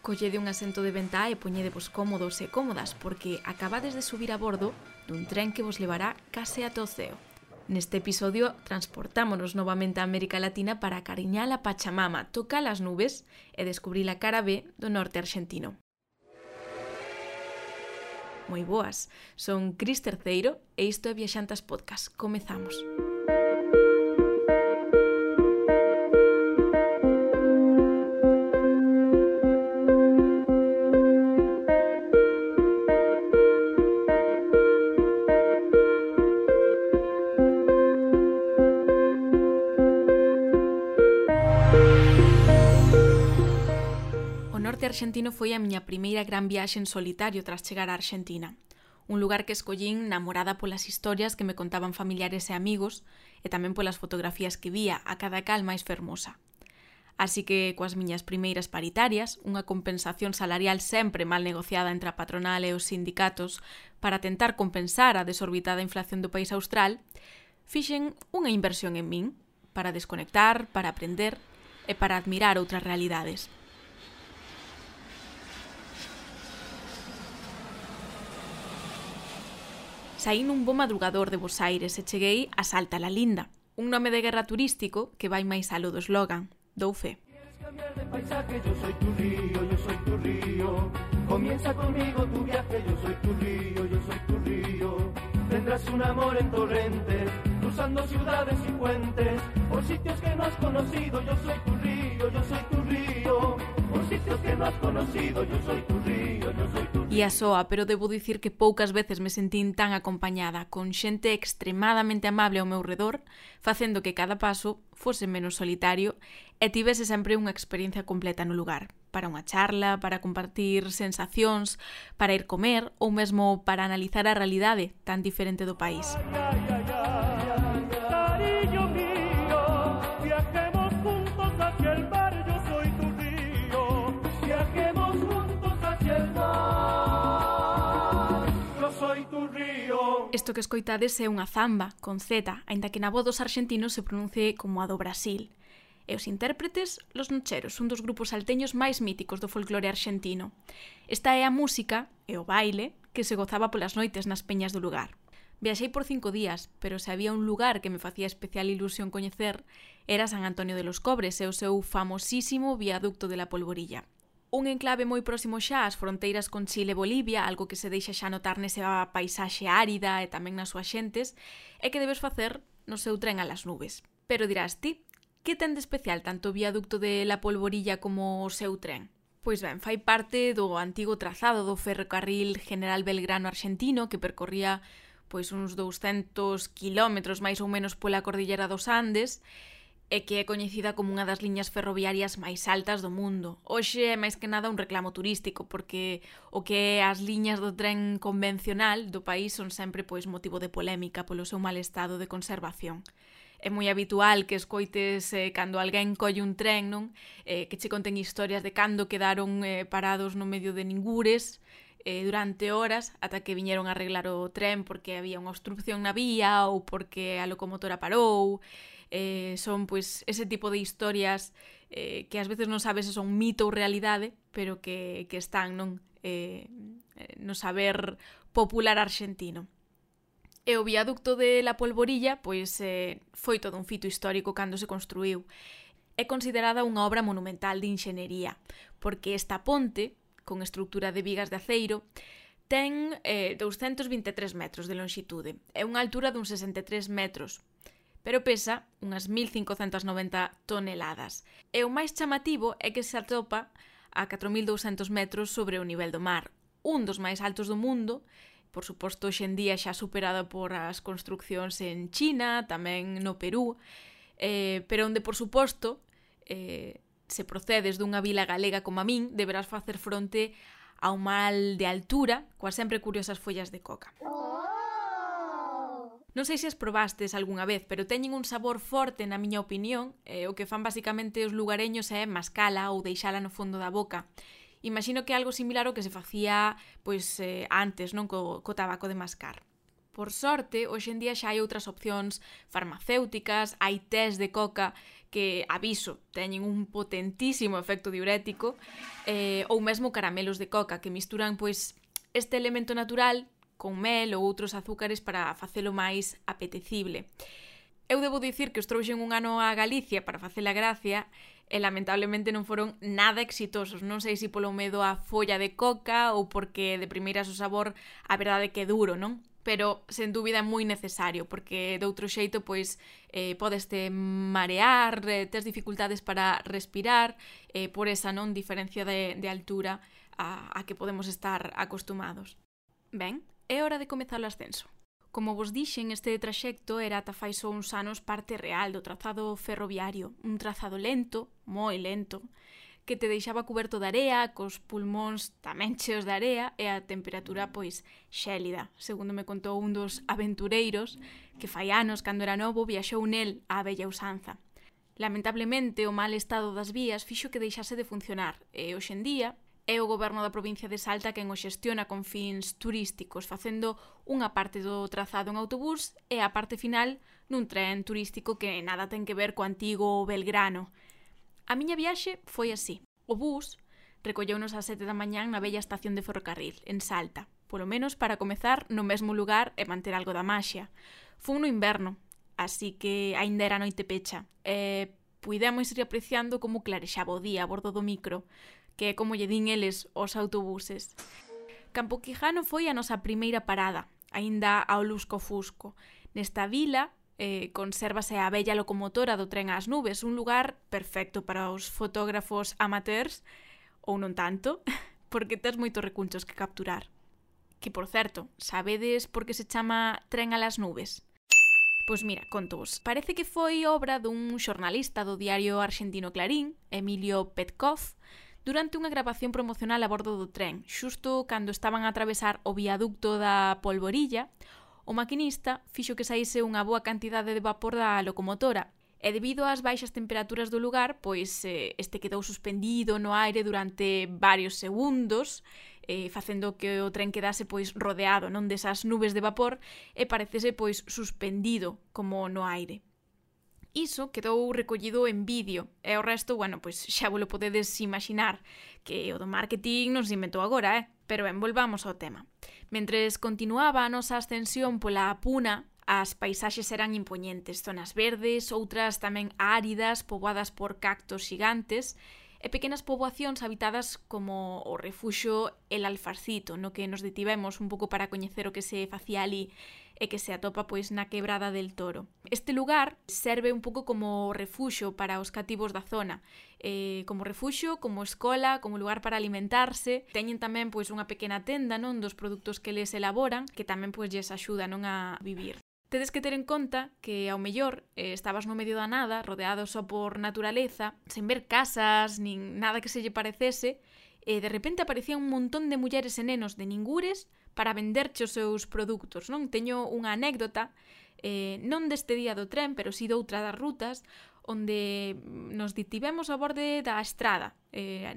Collede un asento de ventá e poñedevos cómodos e cómodas porque acabades de subir a bordo dun tren que vos levará case ata o ceo. Neste episodio transportámonos novamente a América Latina para acariñar a Pachamama, tocar as nubes e descubrir a cara B do norte argentino. Moi boas, son Cris Terceiro e isto é Viaxantas Podcast. Comezamos. O norte argentino foi a miña primeira gran viaxe en solitario tras chegar á Argentina. Un lugar que escollín namorada polas historias que me contaban familiares e amigos e tamén polas fotografías que vía, a cada cal máis fermosa. Así que, coas miñas primeiras paritarias, unha compensación salarial sempre mal negociada entre a patronal e os sindicatos para tentar compensar a desorbitada inflación do país austral, fixen unha inversión en min para desconectar, para aprender e para admirar outras realidades. Saí nun bo madrugador de Bos Aires e cheguei a Salta la Linda, un nome de guerra turístico que vai máis aló do eslogan, dou fe. Quieres cambiar de paisaje, yo soy tu río. Comienza conmigo tu viaje, yo soy tu río. Tendrás un amor en torrentes, cruzando ciudades y puentes, por sitios que no has conocido, yo soy tu río. Por sitios que no has conocido, yo soy tu río. E a soa, pero debo dicir que poucas veces me sentín tan acompañada, con xente extremadamente amable ao meu redor, facendo que cada paso fose menos solitario e tivese sempre unha experiencia completa no lugar, para unha charla, para compartir sensacións, para ir comer ou mesmo para analizar a realidade tan diferente do país. Cariño mío, viajemos juntos hacia el mar, yo soy tu río. Viajemos juntos hacia el mar, yo soy tu río. Isto que escoitades é unha zamba, con Z, aínda que na voz dos argentinos se pronuncie como a do Brasil. E os intérpretes, Los Nocheros, un dos grupos salteños máis míticos do folclore argentino. Esta é a música e o baile que se gozaba polas noites nas peñas do lugar. Viaxei por 5 días, pero se había un lugar que me facía especial ilusión coñecer era San Antonio de los Cobres e o seu famosísimo viaducto de la Polvorilla. Un enclave moi próximo xa ás fronteiras con Chile e Bolivia, algo que se deixa xa notar nesa paisaxe árida e tamén nas súas xentes, e que debes facer no seu tren a las nubes. Pero dirás ti, que ten de especial tanto o viaducto de la Polvorilla como o seu tren? Pois ben, fai parte do antigo trazado do ferrocarril General Belgrano argentino que percorría pois uns 200 kilómetros máis ou menos pola cordillera dos Andes e que é coñecida como unha das liñas ferroviarias máis altas do mundo. Hoxe é máis que nada un reclamo turístico porque o que é as liñas do tren convencional do país son sempre pois motivo de polémica polo seu mal estado de conservación. É moi habitual que escoites cando alguén colle un tren, non? Que che conten historias de cando quedaron parados no medio de ningures durante horas ata que viñeron a arreglar o tren porque había unha obstrucción na vía ou porque a locomotora parou. Son pois ese tipo de historias que ás veces non sabes se son mito ou realidade, pero que están non no saber popular argentino. E o viaducto de la Polvorilla pois foi todo un fito histórico cando se construíu. É considerada unha obra monumental de inxenería, porque esta ponte, con estrutura de vigas de aceiro, ten 223 metros de longitude e unha altura duns 63 metros, pero pesa unhas 1.590 toneladas. E o máis chamativo é que se atopa a 4.200 metros sobre o nivel do mar, un dos máis altos do mundo. Por suposto, hoxe en día xa superada por as construccións en China, tamén no Perú, pero onde, por suposto, se procedes dunha vila galega como a min, deberás facer fronte ao mal de altura, coas sempre curiosas follas de coca. Non sei se as probastes algunha vez, pero teñen un sabor forte na miña opinión, o que fan basicamente os lugareños é mascala ou deixala no fondo da boca. Imagino que é algo similar ao que se facía pois antes, non, co tabaco de mascar. Por sorte, hoxe en día xa hai outras opcións farmacéuticas, hai tés de coca que, aviso, teñen un potentísimo efecto diurético, ou mesmo caramelos de coca que misturan pois este elemento natural con mel ou outros azúcares para facelo máis apetecible. Eu debo dicir que os trouxen un ano a Galicia para facer a gracia e lamentablemente non foron nada exitosos. Non sei se polo medo á folla de coca ou porque de primeiras o sabor a verdade que é duro, non? Pero sen dúbida é moi necesario, porque de outro xeito pois podeste marear, tes dificultades para respirar, por esa non diferencia de altura a que podemos estar acostumados. Ben, é hora de comezar o ascenso. Como vos dixen, este traxecto era ata fai só uns anos parte real do trazado ferroviario, un trazado lento, moi lento, que te deixaba cuberto de area, cos pulmóns tamén cheos de area e a temperatura pois xélida. Segundo me contou un dos aventureiros que fai anos, cando era novo, viaxou nel á bella usanza. Lamentablemente, o mal estado das vías fixo que deixase de funcionar e hoxe en día é o goberno da provincia de Salta quen o xestiona con fins turísticos, facendo unha parte do trazado en autobús e a parte final nun tren turístico que nada ten que ver co antigo Belgrano. A miña viaxe foi así. O bus recolleunos ás 7 da mañán na bella estación de ferrocarril, en Salta, polo menos para comezar no mesmo lugar e manter algo da maxia. Fun no inverno, así que aínda era noite pecha, e puidemos ir apreciando como clarexaba o día a bordo do micro, que é como lle din eles os autobuses. Campo Quijano foi a nosa primeira parada, aínda ao lusco-fusco. Nesta vila consérvase a bella locomotora do tren ás nubes, un lugar perfecto para os fotógrafos amateurs, ou non tanto, porque tes moitos recunchos que capturar. Que, por certo, sabedes por que se chama tren a las nubes? Pois mira, contovos. Parece que foi obra dun xornalista do diario argentino Clarín, Emilio Petkov, durante unha grabación promocional a bordo do tren, xusto cando estaban a atravesar o viaducto da Polvorilla. O maquinista fixo que saíse unha boa cantidade de vapor da locomotora e debido ás baixas temperaturas do lugar, pois este quedou suspendido no aire durante varios segundos, facendo que o tren quedase pois rodeado non desas nubes de vapor e parecese pois suspendido como no aire. Iso quedou recollido en vídeo e o resto, bueno, pois xa vos lo podedes imaginar, que o do marketing non se inventou agora, Pero ben, volvamos ao tema. Mentres continuaba a nosa ascensión pola Puna, as paisaxes eran impoñentes, zonas verdes, outras tamén áridas, poboadas por cactos xigantes, e pequenas poboacións habitadas como o refuxo El Alfarcito, no que nos detivemos un pouco para coñecer o que se facía ali e que se atopa pois na Quebrada del Toro. Este lugar serve un pouco como refuxo para os cativos da zona, como refuxo, como escola, como lugar para alimentarse. Teñen tamén pois unha pequena tenda, non, dos produtos que les elaboran, que tamén pois lles axuda, non, a vivir. Tedes que ter en conta que ao mellor estabas no medio da nada, rodeado só por naturaleza, sen ver casas, nin nada que se lle parecese, e de repente aparecían un montón de mulleres e nenos de ningures para venderche os seus produtos, non? Teño unha anécdota, non deste día do tren, pero si doutra das rutas, onde nos detivemos a borde da estrada.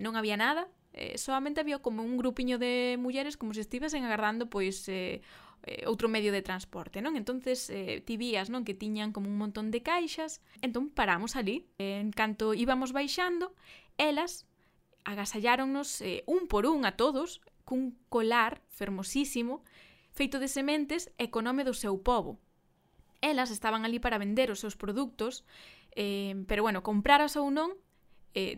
Non había nada, solamente había como un grupiño de mulleres como se estivesen agardando pois outro medio de transporte, non? Entonces ti vías, non, que tiñan como un montón de caixas. Entón paramos ali, en canto íbamos baixando, elas agasalláronnos un por un a todos cun colar fermosísimo feito de sementes e co nome do seu pobo. Elas estaban ali para vender os seus produtos, pero bueno, compraras ou non,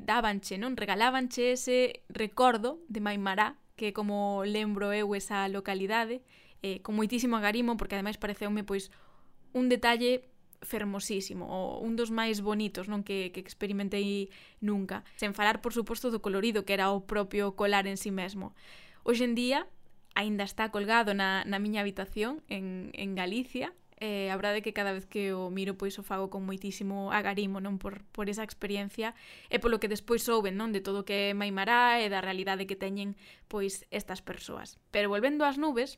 dábanche, non, regalábanche ese recordo de Maimará, que como lembro eu esa localidade, con moitísimo agarimo, porque ademais pareceume pois un detalle fermosísimo, ou un dos máis bonitos, non, que experimentei nunca, sen falar por suposto do colorido que era o propio colar en sí mesmo. Hoxe en día aínda está colgado na miña habitación en Galicia. A verdade é que cada vez que o miro pois o fago con moitísimo agarimo, non, por esa experiencia e polo que despois souben, non, de todo o que é Maimará e da realidade que teñen pois estas persoas. Pero volvendo ás nubes,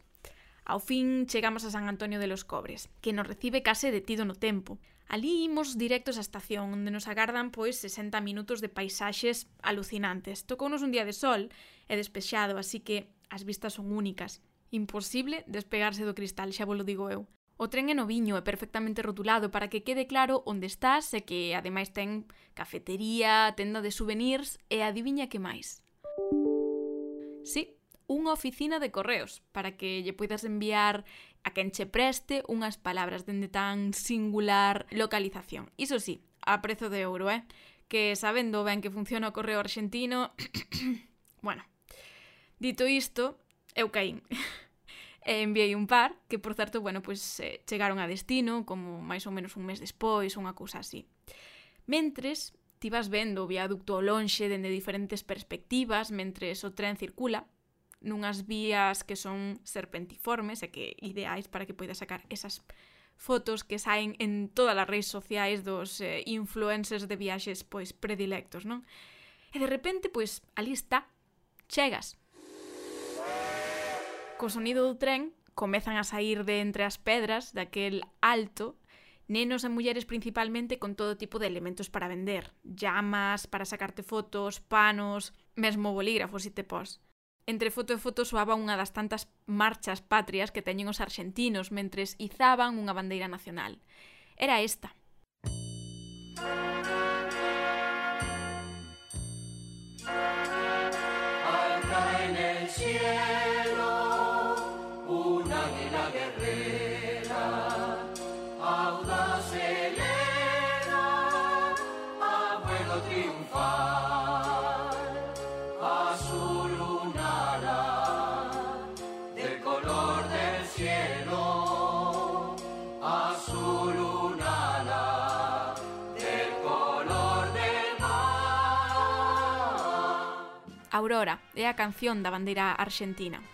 ao fin chegamos a San Antonio de los Cobres, que nos recibe case detido no tempo. Ali imos directos á estación, onde nos agardan pois 60 minutos de paisaxes alucinantes. Tocounos un día de sol e despexado, así que as vistas son únicas. Imposible despegarse do cristal, xa vos lo digo eu. O tren é noviño e perfectamente rotulado para que quede claro onde estás e que ademais ten cafetería, tenda de souvenirs e adiviña que máis. Sí, unha oficina de correos para que lle poidas enviar a quen che preste unhas palabras dende tan singular localización. Iso sí, a prezo de euro, que sabendo ben que funciona o correo arxentino... Bueno, dito isto, eu caín. E enviei un par, que por certo, chegaron a destino, como máis ou menos un mes despois, unha cousa así. Mentres, ti vas vendo o viaducto ao lonxe dende diferentes perspectivas, mentres o tren circula, nunhas vías que son serpentiformes e que ideais para que poidas sacar esas fotos que saen en todas as redes sociais dos influencers de viaxes predilectos, non? E de repente, ali está, chegas. Co sonido do tren comezan a sair de entre as pedras daquel alto nenos e mulleres principalmente con todo tipo de elementos para vender. Llamas, para sacarte fotos, panos, mesmo bolígrafos, se te pos. Entre foto e foto soaba unha das tantas marchas patrias que teñen os arxentinos mentres izaban unha bandeira nacional. Era esta. Alta en el cielo, un águila guerrera, audaz eleva, a vuelo triunfal, azul lunara, del color del cielo, azul lunara, del color del mar. Aurora é a canción da bandeira arxentina.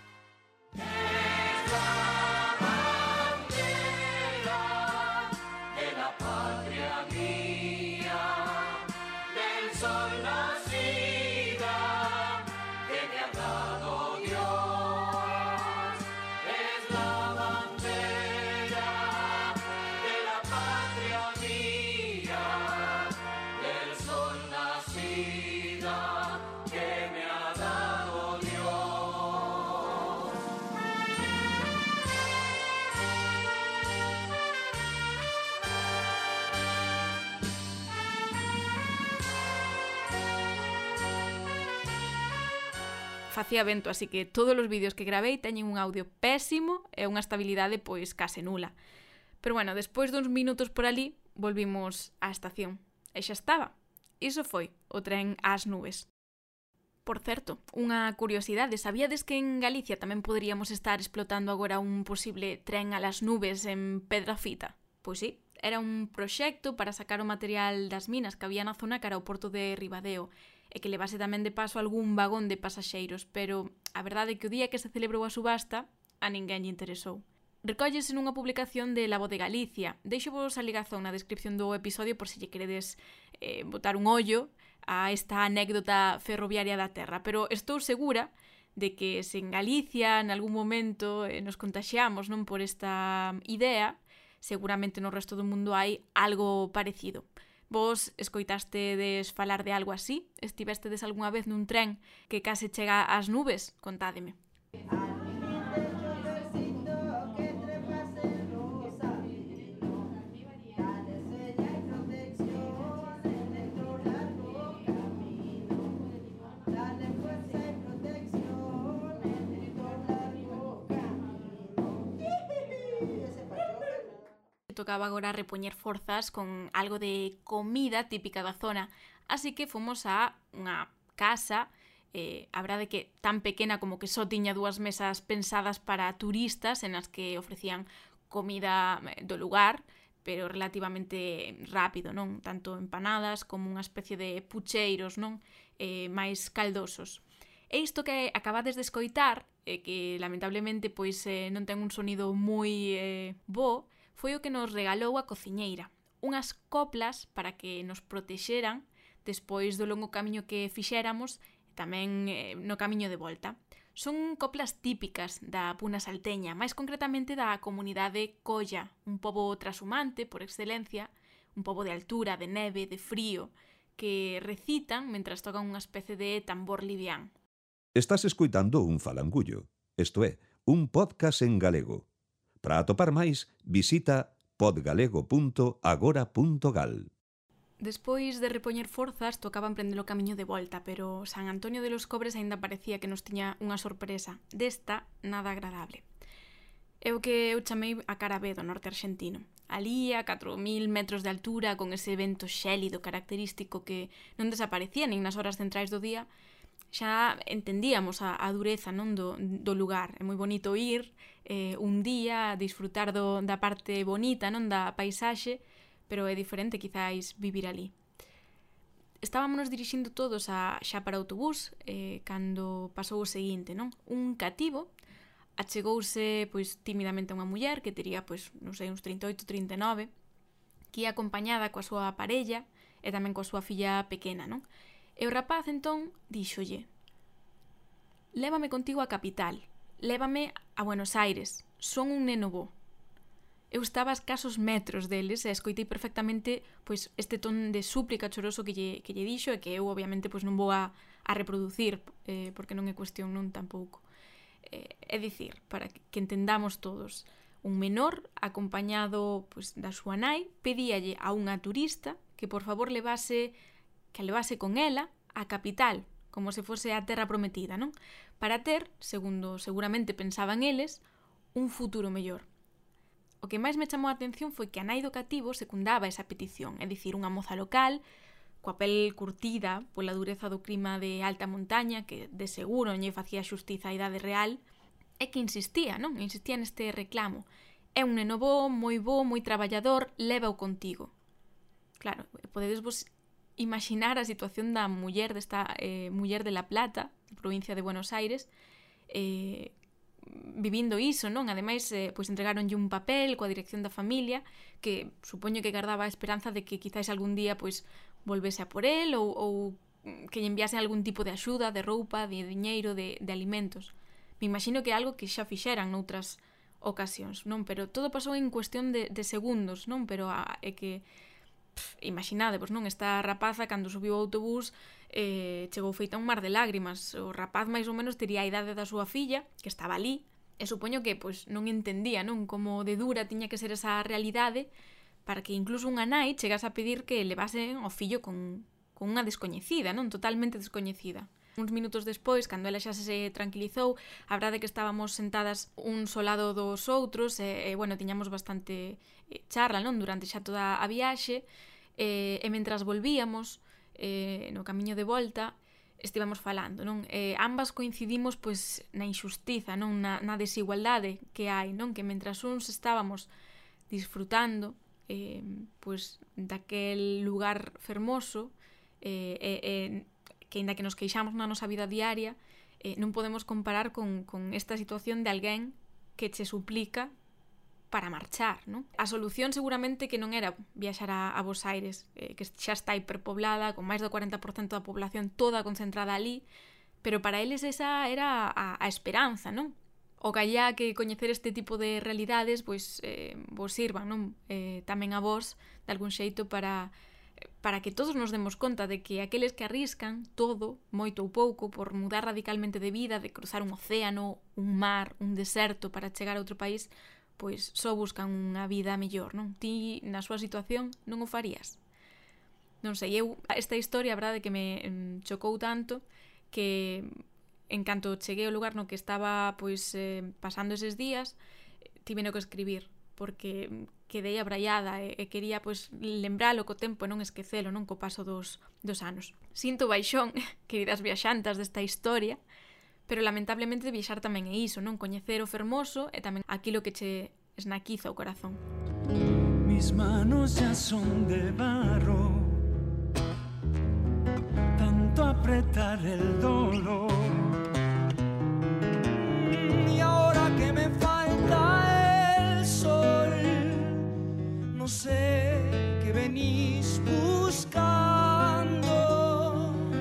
Facía vento, así que todos os vídeos que gravei teñen un audio pésimo e unha estabilidade case nula. Pero despois duns minutos por ali, volvimos á estación. E xa estaba. Iso foi o tren ás nubes. Por certo, unha curiosidade, sabíades que en Galicia tamén poderíamos estar explotando agora un posible tren a las nubes en Pedrafita? Pois sí, era un proxecto para sacar o material das minas que había na zona cara ao porto de Ribadeo e que levase tamén de paso algún vagón de pasaxeiros, pero a verdade é que o día que se celebrou a subasta a ninguén lle interesou. Recóllese nunha publicación de La Voz de Galicia. Deixo-vos a ligazón na descripción do episodio por se lle queredes botar un ollo a esta anécdota ferroviaria da terra, pero estou segura de que se en Galicia en algún momento nos contaxiamos non por esta idea, seguramente no resto do mundo hai algo parecido. Vos escoitastedes falar de algo así? Estivestedes algunha vez nun tren que case chega ás nubes? Contádeme. Tocaba agora repoñer forzas con algo de comida típica da zona, así que fomos a unha casa, a verdade que tan pequena como que só tiña 2 mesas pensadas para turistas en as que ofrecían comida do lugar, pero relativamente rápido, non? Tanto empanadas como unha especie de pucheiros, non? Máis caldosos. E isto que acabades de escoitar, que lamentablemente non ten un sonido moi bo, foi o que nos regalou a cociñeira. Unhas coplas para que nos protexeran despois do longo camiño que fixéramos e tamén no camiño de volta. Son coplas típicas da Puna Salteña, máis concretamente da comunidade Colla, un pobo trashumante por excelencia, un pobo de altura, de neve, de frío, que recitan mentras tocan unha especie de tambor livián. Estás escoitando un falangullo, isto é, un podcast en galego. Para atopar máis, visita podgalego.agora.gal. Despois de repoñer forzas, tocaba emprender o camiño de volta, pero San Antonio de los Cobres aínda parecía que nos tiña unha sorpresa. Desta, nada agradable. É o que eu chamei a cara B do norte arxentino. Alí, a 4.000 metros de altura, con ese vento xélido característico que non desaparecía nin nas horas centrais do día, xa entendíamos a dureza non do lugar. É moi bonito ir un día, disfrutar da parte bonita non da paisaxe, pero é diferente quizáis vivir ali. Estábamos dirixindo todos xa para o autobús cando pasou o seguinte, non? Un cativo achegouse pois timidamente a unha muller que tería pois, non sei, uns 38, 39, que ia acompañada coa súa parella e tamén coa súa filla pequena, non? E o rapaz entón díxolle: "Lévame contigo á capital, lévame a Buenos Aires, son un neno bo." Eu estaba a escasos metros deles e escoitei perfectamente pois este ton de súplica choroso que lle dixo e que eu obviamente pois non vou a reproducir porque non é cuestión non tampouco. É dicir, para que entendamos todos, un menor acompañado pois da súa nai pedíalle a unha turista que por favor levase con ela á capital, como se fose a terra prometida, non? Para ter, segundo seguramente pensaban eles, un futuro mellor. O que máis me chamou a atención foi que a nai do cativo secundaba esa petición, é dicir, unha moza local, coa pel curtida pola dureza do clima de alta montaña, que de seguro non lle facía xustiza á idade real, e que insistía, non? Insistía neste reclamo. É un neno bo, moi traballador, lévao contigo. Claro, podedes vos imaginar a situación da muller desta muller de La Plata, provincia de Buenos Aires, vivindo iso, non? Ademais, pois entregáronlle un papel coa dirección da familia que supoño que guardaba a esperanza de que quizáis algún día pois volvese a por el ou que lle enviasen algún tipo de axuda, de roupa, de diñeiro, de alimentos. Me imagino que é algo que xa fixeran noutras ocasións, non? Pero todo pasou en cuestión de segundos, non? Pero é que imaginadevos, non? Esta rapaza cando subiu ao autobús chegou feita un mar de lágrimas. O rapaz máis ou menos tería a idade da súa filla, que estaba ali, e supoño que pois non entendía, non? Como de dura tiña que ser esa realidade para que incluso unha nai chegase a pedir que levasen o fillo con unha descoñecida, non? Totalmente descoñecida. Uns minutos despois, cando ela xa se tranquilizou, a verdade é que estábamos sentadas un ao lado dos outros e bueno, tiñamos bastante charla, non? Durante xa toda a viaxe e mentras volvíamos no camiño de volta estivamos falando, non? Ambas coincidimos pois na injustiza, non? Na desigualdade que hai, non? Que mentras uns estábamos disfrutando pois daquel lugar fermoso que aínda que nos queixamos na nosa vida diaria non podemos comparar con esta situación de alguén que che suplica para marchar, non? A solución seguramente que non era viaxar a Buenos Aires, que xa está hiperpoblada, con máis do 40% da población toda concentrada ali, pero para eles esa era a esperanza, non? O callá que coñecer este tipo de realidades pois vos sirvan, non? Tamén a vos, de algún xeito, para que todos nos demos conta de que aqueles que arriscan todo, moito ou pouco, por mudar radicalmente de vida, de cruzar un océano, un mar, un deserto para chegar a outro país, pois só buscan unha vida mellor, non? Ti, na súa situación, non o farías? Non sei, esta historia, a verdade, que me chocou tanto que en canto cheguei ao lugar no que estaba pois pasando eses días, tiveno que escribir, porque quedei abraiada e quería pois lembralo co tempo e non esquecelo, non co paso dos anos. Sinto baixón, queridas viaxantas desta historia, pero lamentablemente viaxar tamén é iso, non? Coñecer o fermoso e tamén aquilo que che esnaquiza o corazón. Mis manos ya son de barro, tanto apretar el dolor. Y ahora que me falta el sol, no sé qué venís buscando.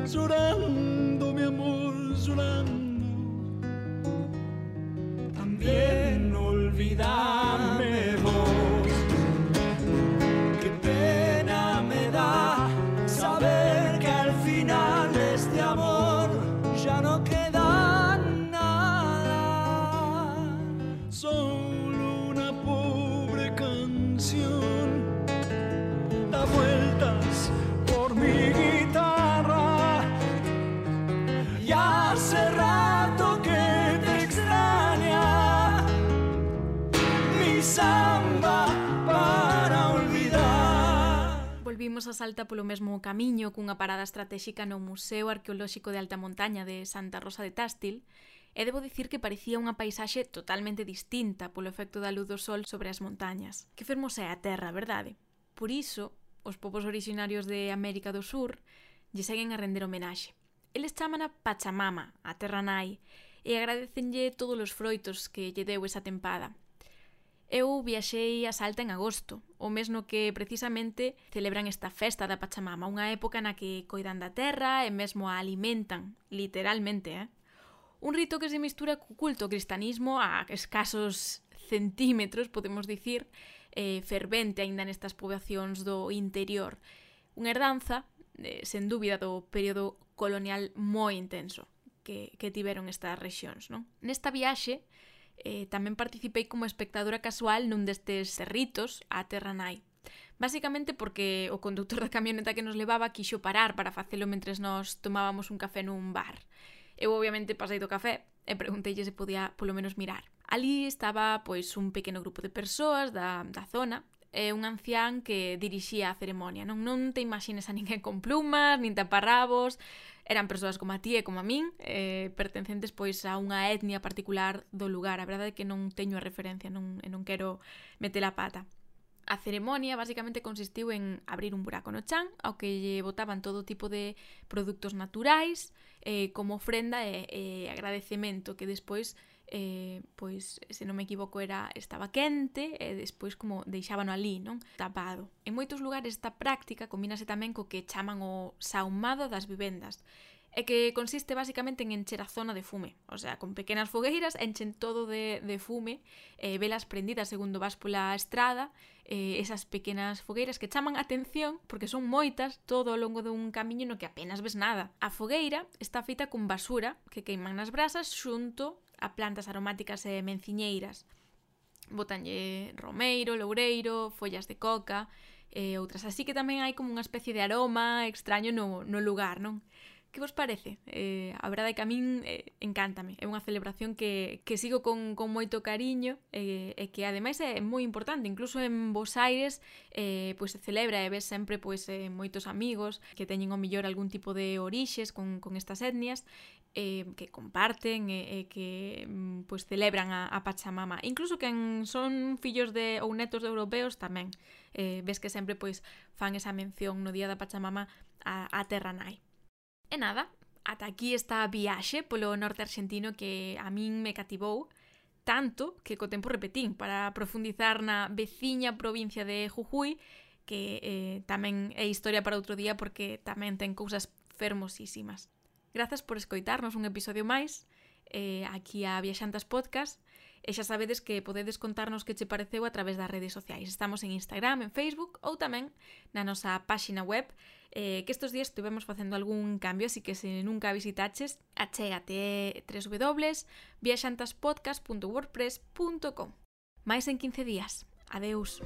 Llorando, mi amor, llorando. También olvídame vos. Qué pena me da saber que al final de este amor ya no queda nada. volvimos a Salta polo mesmo camiño cunha parada estratéxica no Museo Arqueolóxico de Alta Montaña de Santa Rosa de Tástil, e debo dicir que parecía unha paisaxe totalmente distinta polo efecto da luz do sol sobre as montañas. Que fermosa é a terra, verdade? Por iso, os povos orixinarios de América do Sur lle seguen a render homenaxe. Eles chaman a Pachamama, a terra nai, e agradecenlle todos os froitos que lle deu esa tempada. Eu viaxei a Salta en agosto, o mesmo que precisamente celebran esta festa da Pachamama, unha época na que coidan da terra e mesmo a alimentan, literalmente, Un rito que se mistura co culto ao cristianismo a escasos centímetros, podemos dicir, fervente aínda nestas poboacións do interior. Unha herdanza, sen dúbida, do período colonial moi intenso que tiveron estas rexións, non? Nesta viaxe, tamén participei como espectadora casual nun destes ritos á terra nai. Basicamente porque o conductor da camioneta que nos levaba quixo parar para facelo mentres nos tomábamos un café nun bar. Eu obviamente pasei do café e pregunteille se podía polo menos mirar. Ali estaba pois un pequeno grupo de persoas da zona e un ancián que dirixía a ceremonia. Non te imagines a ninguén con plumas, nin taparrabos. Eran persoas como a ti e como a min, pertencentes pois a unha etnia particular do lugar. A verdade é que non teño a referencia, non quero meter a pata. A ceremonia basicamente consistiu en abrir un buraco no chan ao que lle botaban todo tipo de produtos naturais como ofrenda e agradecemento que despois, pois, se non me equivoco, estaba quente e despois como deixábano ali, non? Tapado. En moitos lugares esta práctica combínase tamén co que chaman o saumado das vivendas, e que consiste basicamente en encher a zona de fume. O sea, con pequenas fogueiras enchen todo de fume, velas prendidas segundo vas pola estrada, esas pequenas fogueiras que chaman atención porque son moitas todo ao longo dun camiño no que apenas ves nada. A fogueira está feita con basura que queiman nas brasas xunto a plantas aromáticas e menciñeiras. Botanlle romeiro, loureiro, follas de coca e outras. Así que tamén hai como unha especie de aroma extraño no lugar, non? Que vos parece? A verdade é que a min encántame. É unha celebración que sigo con moito cariño e que ademais é moi importante. Incluso en Bos Aires pois se celebra e ves sempre pois moitos amigos que teñen ao millor algún tipo de orixes con estas etnias que comparten e que pois celebran a Pachamama. Incluso quen son fillos ou netos de europeos tamén. Ves que sempre pois fan esa mención no día da Pachamama a terra nai. E nada, ata aquí esta viaxe polo norte arxentino que a min me cativou tanto que co tempo repetín para profundizar na veciña provincia de Jujuy, que tamén é historia para outro día porque tamén ten cousas fermosísimas. Grazas por escoitarnos un episodio máis aquí a Viaxantas Podcast. E xa sabedes que podedes contarnos que che pareceu a través das redes sociais. Estamos en Instagram, en Facebook ou tamén na nosa páxina web, que estes días estivemos facendo algún cambio, así que se nunca visitaches, achégate www.viaxantaspodcast.wordpress.com. Mais en 15 días. Adeus.